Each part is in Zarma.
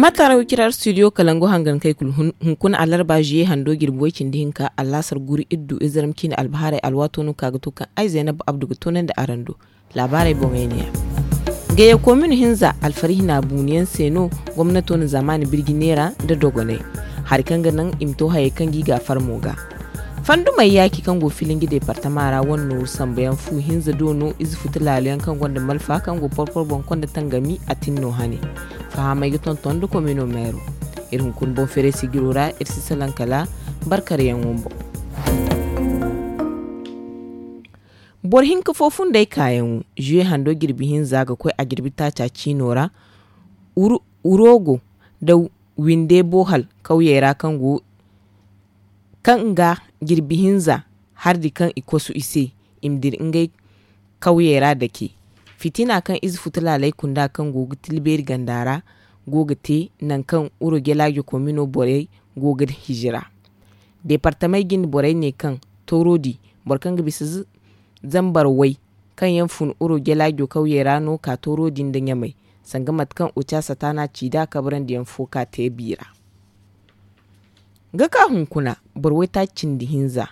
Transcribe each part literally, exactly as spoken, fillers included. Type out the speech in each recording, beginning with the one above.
Mataara wicira studio kalangu hangan kay kulu. Hunkuna alarba juye hando jirbi way cindi hinka allasar guri iddu izaram ciine albahaarey alwaato no ka ga to kaŋ ay zaynab abdu ga toonandi araŋ do. Laabaarey boŋey ne ya. Gayya komin hinza alfarihina buuniyaŋ se no gomnato na zaamaani birji neera nda dogoney hari kaŋ ga naŋ i ma to hayey kaŋ ga i ga farmo ga. Fandumey yaaci kaŋ go filinji deepartama ra wane nooru sambuyaŋ fu hinza do no ize futu laalo yaŋ kaŋ gonda malfa kaŋ go porpor boŋ konda tangami a tin no hane. Fahamey ga tonton nda komino meero. Iri hunkuna boŋ feere sijiro ra iri si salaŋ kala barkaryaŋo boŋ. Boro hinka fo fundey kaayaŋo juwe hando jirbi hinza ga koy a jirbi taaca ciino ra. Urogo nda winde boohal kawyey ra kaŋ go kaŋ ga jirbi hinza hardi kaŋ i kosu i se i ma dira ngey kawyey ra dake. Fitina kaŋ ize futu laaley kunda kaŋ go ga tilbeeri ganda ra go ga te nangu kaŋ uro jalaajo komino borey go ga hijira. Deepartamey jinde borey ne kaŋ toorodi boro kaŋ ga bisa zambar way kaŋ yaŋ fun uro jalaajo kawyey ra no ka toorodi nda ɲamey sanga mate kaŋ oca satana ci nd'a kabrandi yaŋ fo ka te biira. Ga ka hunkuna boro waytaaci cindi hinza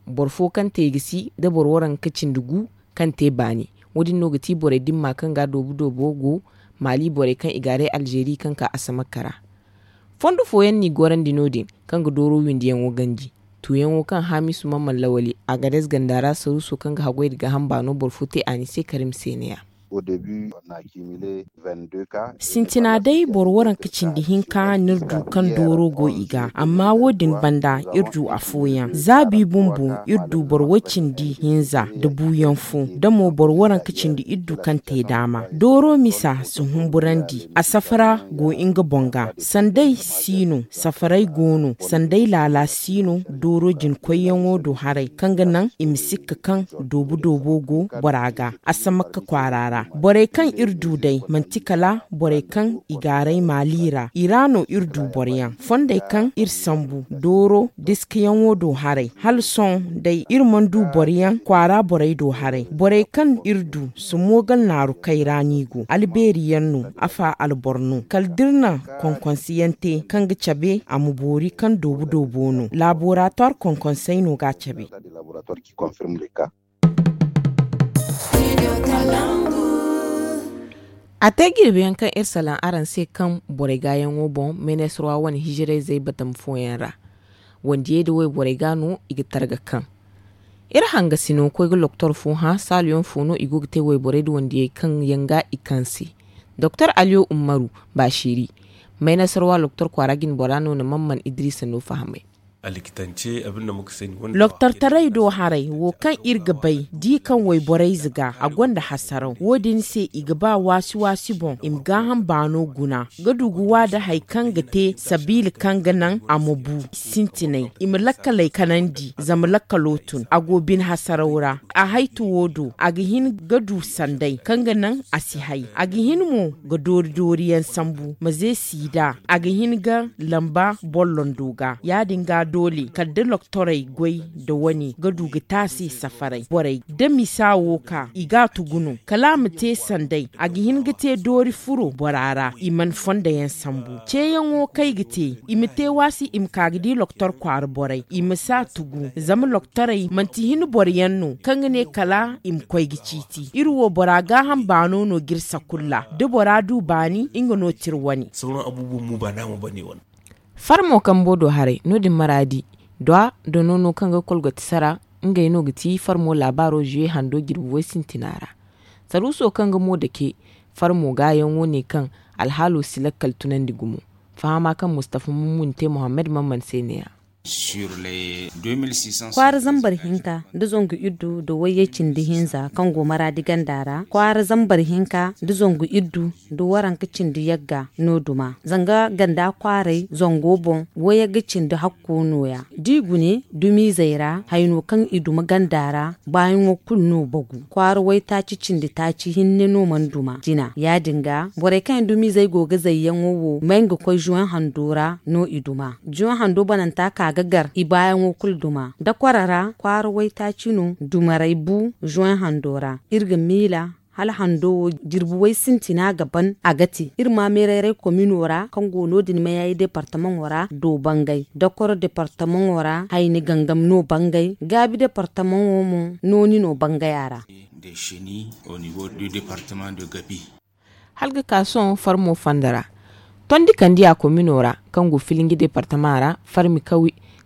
boro fo kaŋ te i ga si nda boro waranka cindi gu kaŋ te baani. Wo- din no ga ti borey dimma kaŋ ga doobu doobo go maali borey kaŋ i gaaray alzeeri kaŋ ka asamakka ra. Fondo fooyaŋ n'i gorandi no- din kaŋ ga dooro windiyaŋo ganji tuuyaŋo kaŋ haamisu man man lawali agades ganda ra saruuso kaŋ ga haggoy nda gaaham baano boro fo te a ni se karim se ne- ya. Sintina day boro waranka cindi hinka no iri du kaŋ dooro go i ga amma wo- din banda iri du afooyaŋ zaabi bumbo iri du boro way cindi hinza nda buuyaŋ fo da mo boro waranka cindi iri du kaŋ te daama dooro misa si humburandi a safara go nga boŋ ga sanday si no safaray go no sanday laala si no dooro jinkoyyaŋo do haray kaŋ ga naŋ i ma sikka kaŋ doobu doobo go bora ga asamakka kwaara ra borey kaŋ iri du day manti kala borey kaŋ i gaaray maali ra i ra no iri du boroyaŋ fondey kaŋ iri sambu dooro diskayaŋo do haray hala sohõ day iri mana du boroyaŋ kwaara borey do haray borey kaŋ iri du si moogal naaru kay ra no i go albeeri yaŋ no afa alboro no kala da iri na konkonseyaŋ te kaŋ ga cabe a ma boori kaŋ doobu doobo no laaboratuwar konkonsey no ga a cabe. A te jirbi yaŋ kaŋ iri salaŋ araŋ se kaŋ borey gaayaŋo boŋ menesarwa wane hijirayzey batama fooyaŋ ra wandiyey nda wayborey ga no i ga targa kaŋ iri hangasino koy ga loktor fo hã saaluyaŋ fo no i go ga te wayborey nda wandiyey kaŋ yaŋ ga i kaŋ se doktor aliyo ummaru baasiri menesarwa loktor kwaara jinbora no na man man idiriisa no fahamay. Loktortaray do haray wo kaŋ iri ga bay da i kaŋ wayborey ze ga a gonda hasaraw wo- din se i ga ba waasi waasi boŋ i ma gaaham baano guna ga du ga wa nda hari kaŋ ga te sabiila kaŋ ga naŋ a ma bu sintinay i ma lakkaley kanandi zama lakkalo tun a go bine hasaraw ra a haytu wo do a ga hin ga du sanday kaŋ ga naŋ a si hay a ga hin mo ga doori dooriyaŋ sambu ma ze siida a ga hin ga lamba bollondo ga ya- din ga doole kala da loktorey goy nda wane ga du ga taasi safaray borey da misa wo ka i ga a tugu no kala a ma te sanday a ga hin ga te doori furo bora ra i mana fondoyaŋ sambu ceeyaŋo kaŋ ay ga te i ma te waasi i ma ka ga di loktor kwaara borey i ma si a tugu zama loktorey manti hin boro yaŋ no kaŋ ga ne kala i ma koy ga ciiti iri wo bora gaaham baano no ga iri sakulla da bora du baani nga no ti iri wane. Farmo kambo do haray no- din maraadi dwa da noono kaŋ ga kolgoti sara ngey no ga ti farmo laabaaro zuwe hando jirbi way sintina ra. Saruuso kaŋ ga mo dake farmo gaayaŋo ne kaŋ alhaalo si lakkal tunandi gumo. Fahama kaŋ mustafa mummun te muhammad mamman se ne- ya. Kwaara zambar hinka nda zangu iddu nda wayyey cindi hinza kaŋ go maraadi ganda ra kwaara zambar hinka nda zangu iddu nda waranka cindi yagga no duma zanga ganda kwaaray zango boŋ wayagga cindi hakko no- ya da i gune dumiizey ra hayno kaŋ i duma ganda ra baayaŋo kulu no bagu kwaara waytaaci cindi taaci hinne no mana duma jina ya- din ga borey kaŋ yaŋ dumiizey go ga zayyaŋo wo may nga koy zuwan hando ra no i duma juwan hando bananta ka ga gar i baayaŋo kulu duma da kwara ra kwaara waytaaci no dumarey bu juwan hando ra iri ga miila. Hala hando wo jirbi way sintina ga ban a ga te iri ma meerayray komino ra kaŋ go no- din mayayi departamaŋo ra do bangay dokoro departamaŋo ra hayni gangam no bangay gaabi departamaŋo mo nooni no bangay a ra. Hala ga ka sohõ farmo fonda ra tondi kandiya komino ra kaŋ go filinji departama ra farmi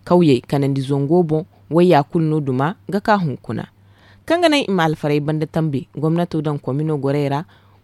kawyey kanandi zango boŋ wayya kulu no duma ga ka hunkuna. Kaŋ ga naŋ i ma alfarey banda tambe gomnato daŋ komino gorey ra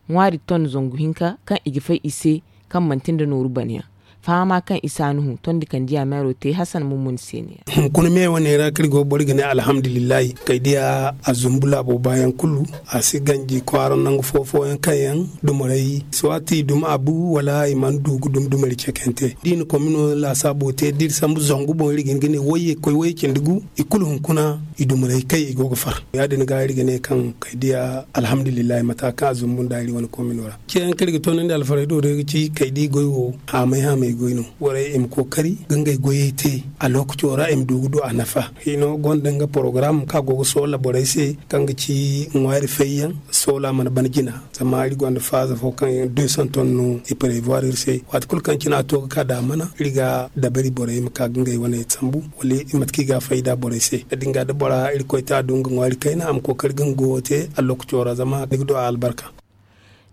ŋwaari ton zangu hinka kaŋ i ga fay i se kaŋ manti nda nooru banayaŋ. Fahama kaŋ isa nuhu tondi kandiya meero te hasan mummun se ne. Hunkuna me wane ra kaŋ iri go boro ga ne alhamdulillahi kay diya a zumbu laabo baayaŋ kulu. A si ganji kwaara nangu fo fooyaŋ kaŋ yaŋ dumarey si waati i dum a bu wala i mana du ga dum dumari cekante da i na komino laasaabo te da iri sambu zangu boŋ iri ga hin ga ne wayye koy wayye cindi gu. I kulu hunkuna i dumarey kay i go ga far ya- din ga iri ga ne kaŋ kay diya alhamdulillahi mata kaŋ a zumbu nda iri wane komino ra. Ceeyaŋ kaŋ iri ga toonandi alfarey do day ga ci kay da i goy wo haamay haamay goy no. Borey i ma kookari ga ngey goyey te a lookaco ra i ma du ga du a nafa. Hino gonda nga porogaram kaŋ a go ga soola borey se kaŋ ga ci ŋwaari fayyaŋ soola mana ban jina. Zama iri gonda faaza fo kaŋ yaŋ deux cents tonnes no i prévoir iri se waati kulu kaŋ cine a to ga ka da a mana iri ga dabari borey ma ka ga ngey wane sambu wala i mate kaŋ i ga a fayda borey se da din ga da bora iri koy te a du nga ŋwaari kayna a ma kookari ga nga goyo te a lookaco ra zama ni ga du a albarka.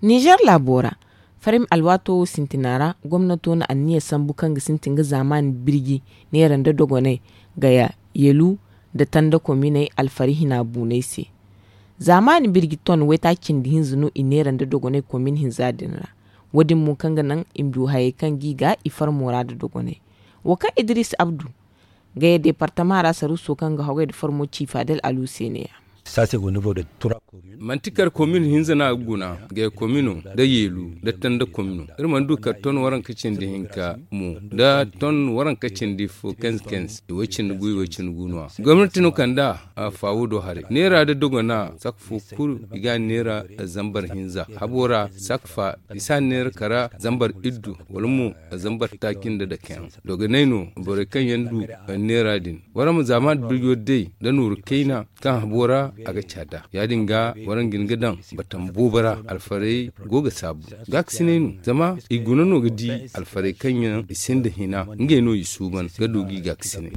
Nizer laabo ra farmi alwaato wo sintina ra gomnato na anniya sambu kaŋ ga sintin ga zaamaani birji neera nda dogonay gaya yeelu nda tanda kominey alfari hina buuney se. Zaamaani birji ton waytaaci cindi hinza no i neera nda dogonay komin hinza din ra. Wo- din mo kaŋ ga naŋ i ma du hayey kaŋ ga i ga i farmo ra nda dogonay. Wo kaŋ idiris abdu gaya departama ra saruuso kaŋ ga hogay nda farmo ci faadel alu se ne- ya. Manti kar komin hinza no a ga guna gaya komino nda yeelu nda tanda komino. Iri mana du kar ton waranka cindi hinka mo nda ton waranka cindi fo kenz kenz i way cindi gu i way cindi gu no- ya gomnati no kand'a. Faawo do haray neera nda dogona saka fo kulu i ga a neera zambar hinza habo ra saka fa i si a neera kara zambar iddu wala mo zambar taaci nda dakeyaŋ. Dogonay no borey kaŋ yaŋ du neera din waraŋ ma zaamaani birjo day nda nooru kayna kaŋ habo ra a ga caada ya- din ga waraŋ ga hin ga daŋ batam boobo ra alfarey go ga saabu. Gaakasinay no zama i guna no ga di alfarey kaŋ yaŋ i sinda hina ngey no i suuban ga du ga i gaakasinay.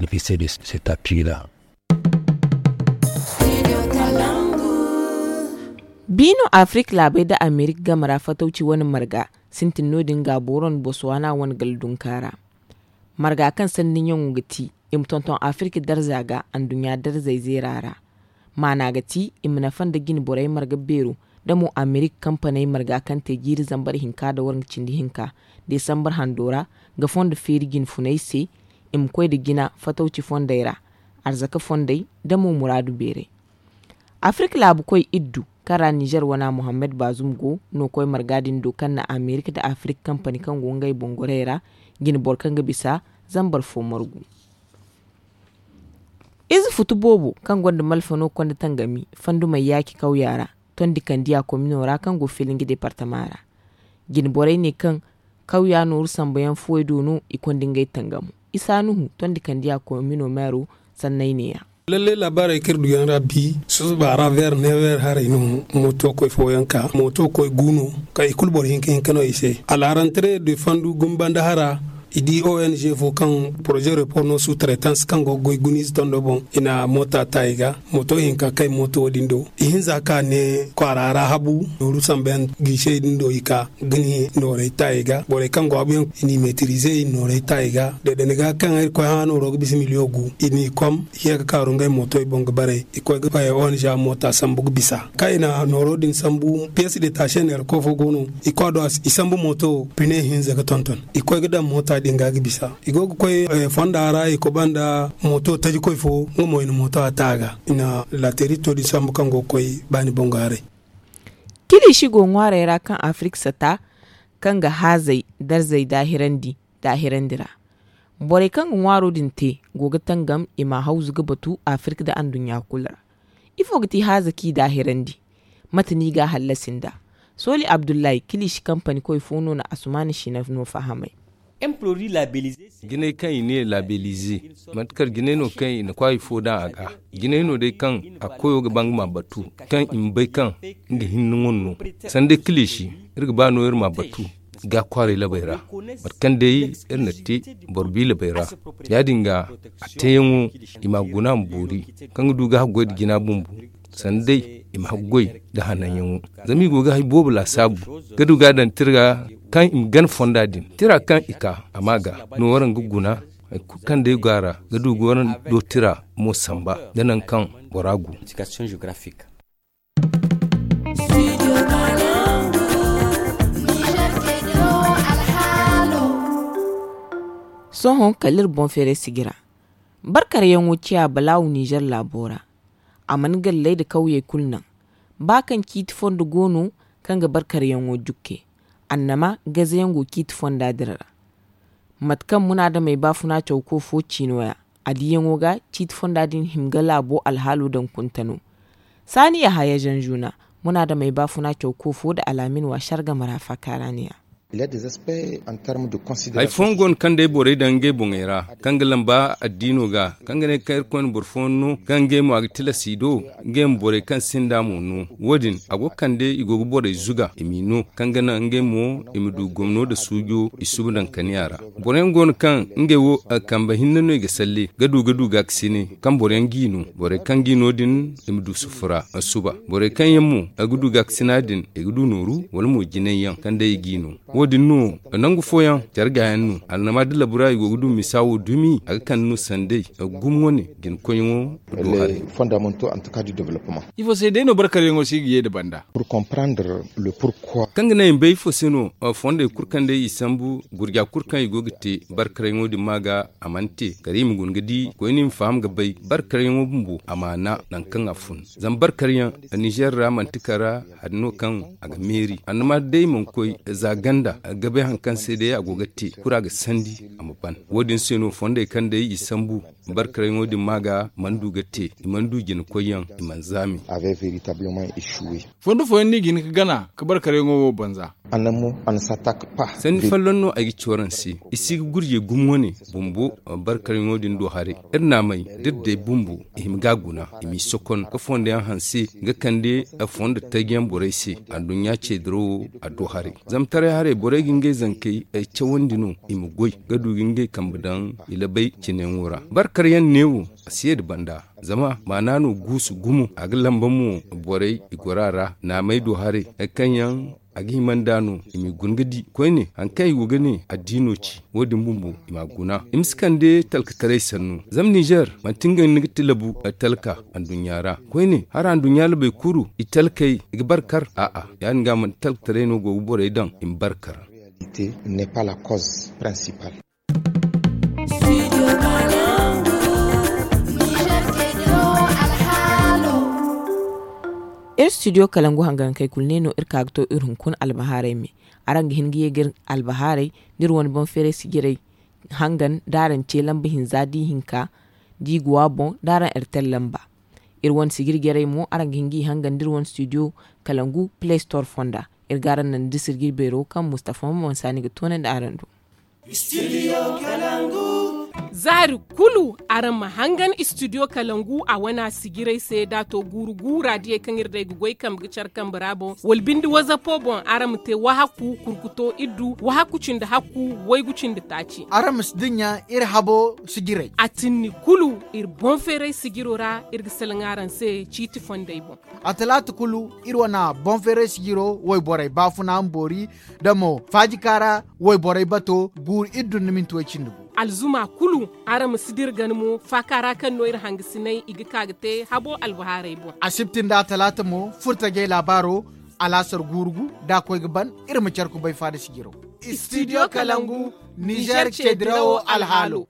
Biino afirik laabey nda amerik game ra fatawci wane marga sintin no- din ga booro nda bosowaana wane galdunka ra. Marga kaŋ sanni ɲaŋo ga ti i ma tonton afirik darza ga anduɲɲa darzey zeera ra. Maana ga ti i ma nafa nda jine borey marga beero nda mo amerik kampaney marga kaŋ te jiiri zambar hinka nda warŋa cindi hinka desambar hando ra ga fondo feeri jine funey se. I ma koy nda jina fatawci fondey ra arzaka fondey nda mo muraadu beerey. Afirik laabu koy iddu kaŋ ra nizer wana muhammad bazum go no koy marga din do kaŋ na amerik nda afirik kampani kaŋ go ngey bongorey ra jine boro kaŋ ga bisa zambar fo margu. Ize futu boobo kaŋ gonda malfa no konda tangami fandumey yaaci kawya ra tondi kandiya komino ra kaŋ go filinji departama ra. Jine borey ne kaŋ kawya nooru sambuyaŋ fuwey do no i konda ngey tangamo. Isa nuhu tondi kandiya komino meero sanney ne- ya. Lallay laabaarey kaŋ iri du yaŋ ra bi susuba ra ver never haray no. Mooto koy fooyaŋ ka mooto koy gu no ka i kulu boro hinka hinka no i se a la rentrer de fandu gumbanda hara. I di ong fo kaŋ projet report no sous traitance kaŋ go ga goy guniize tondo boŋ i na moota ta i ga. Mooto hinka kay mooto wo- din do i hinza ka ne kwaara ra habu nooru sambuyaŋ giisey din do i ka ga ni noorey ta i ga borey kaŋ go habuyaŋ i n'i meetirize i na noorey ta i ga. Deedene ga kaŋ iri koy hã nooro ga bisa miliyo gu i n'i kom i ye ga kaaru ngey mooto i boŋ ga barey i koy ga ong moota sambu ga bisa kaŋ i na nooro din sambu piyes de taasiyaŋ neera koy fo go no. I koy a do i sambu mooto pine hinza ga tonton i koy ga daŋ moota din ga ga bisa. I go ga koy fonda ra i koba nda mooto tajikoy fo nga mo i na mooto a ta a ga i na laterito din sambu kaŋ go ga koy baani boŋ ga haray. Kiliisi go ŋwaarey ra kaŋ afirik sata kaŋ ga haazey darzey daahirandi daahirandi ra. Borey kaŋ ga ŋwaaro din te go ga tangam i ma hawzu ga batu afirik nda anduɲɲa kulu ra. Ifo ga ti haaza kaŋ i daahirandi? Mate no i ga a hallasi nd'a? Sooli abdullahi kiliisi kampani koy fo no na asumaana sina no fahamay. Jinay kaŋ i ne labelize, mate kala jinay no kaŋ i na kwaayi fo daŋ a ga. Jinay no day kaŋ a koyo ga ba nga ma batu, kaŋ i ma bay kaŋ nga hinne ŋun no. Sanda kiliisi, iri ga ba no iri ma batu ga kwaaray labey ra, mate kaŋ day iri na te boro bi labey ra. Ya- din ga, a teeyaŋo, i ma guna ma boori, kaŋ ga du ga haggoy nda jina bumbo, sanda day i ma haggoy nda hananyaŋo. Zama i go ga hari boobo laasaabu ga du ga a daŋ tira ga, kaŋ i ma gana fonda din tira kaŋ i ka a ma ga. No waraŋ ga guna hari kulu kaŋ day go a ra, ga du ga waraŋ do tira mo samba nda nangu kaŋ bora go. Sohõ kala iri boŋ feeray sijira, barkaryaŋo ciya balaawu ninzeer laabo ra. A mana galley nda kawyey kulu naŋ. Ba kaŋ ciiti fondo go no kaŋ ga barkaryaŋo jukke, annama gazayaŋ go ciiti fonda din ra. Mate kaŋ munaadamey baafuna cawko fo ci no- ya, a diyaŋo ga ciiti fonda din hima ga laabo alhaalo daŋ kunta no. Saani yahaya zanzuna, munaadamey baafuna cawko fo nda alaamin waasar game ra faakaara ne- ya. Hari fooyaŋ go no kaŋ day borey daŋ ngey boŋey ra, kaŋ ga lamba addiino ga, kaŋ ga ne kaŋ irkoy na boro fooyaŋ no kaŋ ngey mo a ga tilas i do, ngey ma borey kaŋ sinda mo no. Wo- din a go ga kande i go ga borey zuga i m'i no, kaŋ ga naŋ ngey mo i ma du gomno nda suujo i suba daŋ kaniya ra. Boroyaŋ go no kaŋ ngey wo kambe hinne no i ga salle ga du ga du gaakasine, kaŋ boroyaŋ g'i no. Borey kaŋ g'i no din, i ma du sufura suba. Borey kaŋ yaŋ mo ga du gaakasina din, i ga du nooru wala mo jinay yaŋ kaŋ day i g'i no. Wo- din no nangu fooyaŋ care gaayaŋ no, alnama da labura i go ga du misa wo dumi a ga kande no sanday gumo wane jinkoyyaŋo. Do haray. Ifo se day no barkaryaŋo si ga ye nda banda? Kaŋ ga naŋ i ma bay ifo se no fondey kulu kaŋ day i sambu gurja kulu kaŋ i go ga te barkaryaŋo din ma ga a mana te kala i ma guna ga di koyne i ma faham ga bay barkaryaŋo bumbo a maana nangu kaŋ a fun. Zama barkaryaŋ ninzeer ra manti kala hari no kaŋ a ga meeri annama day mana koy za ganda ga bay hari kaŋ se day a go ga te kulu a ga sandi a ma ban. Wo- din se no fondey kaŋ day i sambu barkaryaŋo din ma ga mana du ga te, i mana du jina koyyaŋ, i mana zaami. Fondo fooyaŋ no i ga hin ga gana ga barkaryaŋo wo banza. Sanni folloŋ no ay ga ci waraŋ se, i si ga gurjey gumo wane bumbo. Barkaryaŋo din do haray iri naamey da iri day bumbo i hima ga a guna, i m'i sokon ga fondo yaŋ hanse ga kande fondo taji yaŋ borey se. Anduɲɲa ce dirawo a do haray zama taray haray borey ga ngey zankey cawandi no i ma goy ga du ga ngey kambe daŋ i labay cine yaŋo ra. Barkar yaŋ neewo a si ye nda banda zama maana no guusu gumo a ga lamba mo borey i goro a ra naamey do haray hari kaŋ yaŋ a ga hima nd'a no i m'i guna ga di koyne hari kaŋ i go ga ne addiino ci. Wo- din bumbo i m'a guna i ma si kande talkataray sannu zama ninzeer manti nga ni ga ti labu talka anduɲɲa ra. Koyne hari anduɲɲa labey kulu i talkey i ga barkar a'a ya- din ga manti talkataray no go ga borey daŋ i ma barkar. Iri studio kalangu hangankey kulu ne no iri ka ga to iri hunkuna albahaarey me. Araŋ ga hin ga ye ga iri albahaarey da iri wane boŋ feeray sijirey hangan da araŋ ce lamba hinza da ihinka da i go a boŋ da araŋ ertel lamba. Iri wane sijiri jarey mo araŋ ga hin ga i hangan da iri wane studio kalangu play store fonda. Iri ga araŋ naŋ da sijiri beero kaŋ mustafa mo mansa ni ga toonandi araŋ do. Zaari kulu araŋ ma hangan studio kalangu a wana sijirey se da a to guuru guura diyey kaŋ iri day ga goy kambe ga care kambe ra boŋ wala binde wazapo boŋ araŋ ma te wahakku kurkuto iddu wahakku cindi hakku waygu cindi taaci. Araŋ ma si dinya iri habo sijirey a tinni kulu iri boŋ feeray sijiro ra iri ga salaŋ araŋ se ciiti fondey boŋ. A talaata kulu iri wana boŋ feeray sijiro wayborey baafuna ma boori da mo faajika ra wayborey bato guuru iri dun na minti way cindi gu. Alzuma kulu araŋ ma si dira gana mo faaka ra kaŋ no iri hangasinay i ga ka ga te habo albahaarey boŋ. Asibti nda a talaata mo furtajey laabaaro alaasar guuru gu da a koy ga ban iri ma care kubay faada sijiro. Studio kalangu nizeer ceedirawo alhaalo.